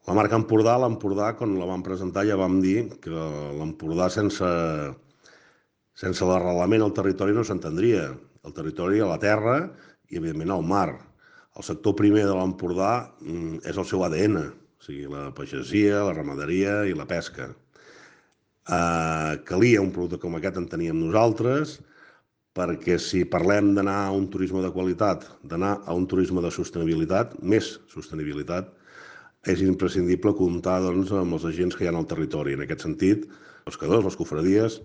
La marca Empordà, quan la vam presentar ja vam dir que l'Empordà sense l'arrelament al territori no s'entendria. El territori a la terra i, evidentment, al mar. El sector primer de l'Empordà és el seu ADN, o sigui, la pagesia, la ramaderia i la pesca. Calia un producte com aquest, enteníem nosaltres, perquè si parlem d'anar a un turisme de qualitat, d'anar a un turisme de sostenibilitat, més sostenibilitat, és imprescindible comptar doncs, amb els agents que hi ha al territori. En aquest sentit, els pescadors, les cofradies